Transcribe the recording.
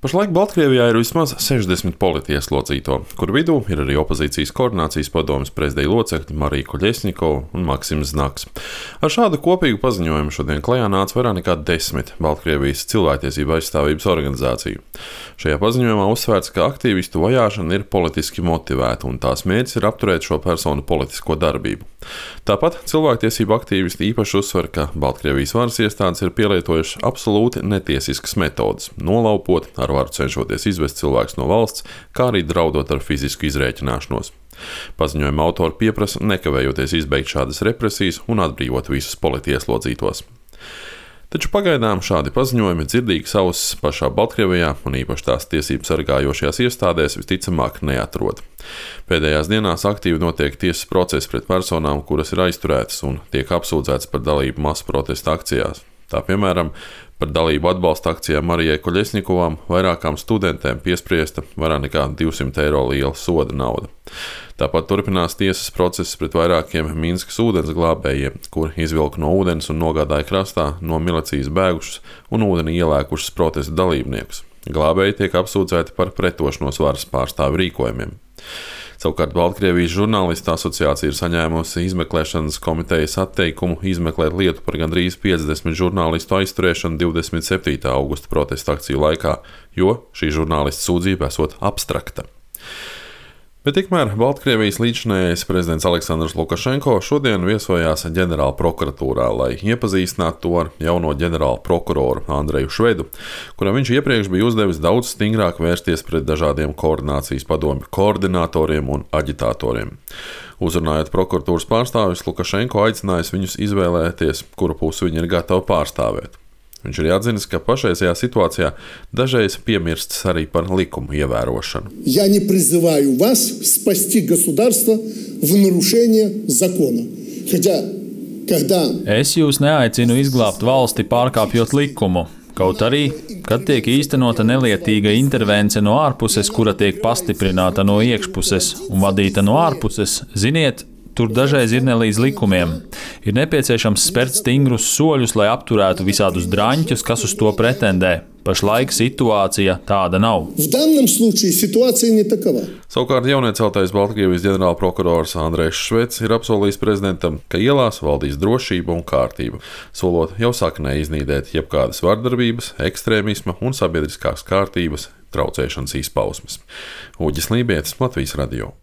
Pašlaik Baltkrievijā ir vismaz 60 politieslodzīto, kuru vidū ir arī opozīcijas koordinācijas padomes prezidija locekļi Marija Koļesņikova un Maksims Znaks. Ar šādu kopīgu paziņojumu šodien klajā nāca vairāk nekā 10 Baltkrievijas cilvēktiesību aizstāvības organizāciju. Šajā paziņojumā uzsvērts, ka aktīvistu vajāšana ir politiski motivēta un tās mērķis ir apturēt šo personu politisko darbību. Tāpat cilvēktiesību aktīvisti īpaši uzsver, ka Baltkrievijas varas iestādes ir pielietojušas absolūti netiesiskas metodes, nolaupot, ar varu cenšoties izvest cilvēkus no valsts, kā arī draudot ar fizisku izrēķināšanos. Paziņojuma autori pieprasa nekavējoties izbeigt šādas represijas un atbrīvot visus politieslodzītos. Taču pagaidām šādi paziņojumi dzirdīgas ausis pašā Baltkrievijā un īpaši tās tiesību sargājošajās iestādēs visticamāk neatrod. Pēdējās dienās aktīvi notiek tiesas procesi pret personām, kuras ir aizturētas un tiek apsūdzētas par dalību masu protesta akcijās. Tā piemēram, par dalību atbalsta akcijā Marijai Koļesņikovām vairākām studentēm piespriesta vairāk nekā 200 eiro liela soda nauda. Tāpat turpinās tiesas process pret vairākiem Minskas ūdens glābējiem, kuri izvilka no ūdens un nogādāja krastā no milicijas bēgušus un ūdeni ielēkušus protesta dalībniekus. Glābēji tiek apsūdzēti par pretošanos varas pārstāvju rīkojumiem. Savukārt Baltkrievijas žurnālistu asociācija ir saņēmusi izmeklēšanas komitejas atteikumu izmeklēt lietu par gandrīz 50 žurnālistu aizturēšanu 27. augusta protesta akciju laikā, jo šī žurnālista sūdzība esot abstrakta. Bet tikmēr Baltkrievijas līdzinājais prezidents Aleksandrs Lukašenko šodien viesojās ģenerāla prokuratūrā, lai iepazīstinātu to ar jauno ģenerāla prokuroru Andreju Švedu, kuram viņš iepriekš bija uzdevis daudz stingrāk vērsties pret dažādiem koordinācijas padomju koordinatoriem un aģitatoriem. Uzrunājot prokuratūras pārstāvjus, Lukašenko aicinājis viņus izvēlēties, kuru pusi viņi ir gatavi pārstāvēt. Viņš arī atzinis, ka pašreizajā situācijā dažreiz piemirsts arī par likumu ievērošanu. Я не призываю вас спасти государство в нарушение закона. Es jūs neaicinu izglābt valsti pārkāpjot likumu. Kaut arī, kad tiek īstenota nelietīga intervence no ārpuses, kura tiek pastiprināta no iekšpuses un vadīta no ārpuses, ziniet, tur dažreiz ir ne līdz likumiem. Ir nepieciešams spērt stingrus soļus, lai apturētu visādus draņķus, kas uz to pretendē. Pašlaik situācija tāda nav. Savukārt jaunieceltais Baltkrievijas ģenerālprokurors Andrejs Šveds ir apsolījis prezidentam, ka ielās valdīs drošība un kārtība, solot jau saknē iznīdēt jebkādas vardarbības, ekstrēmisma un sabiedriskās kārtības traucēšanas izpausmes. Uģis Lībietis, Latvijas radio.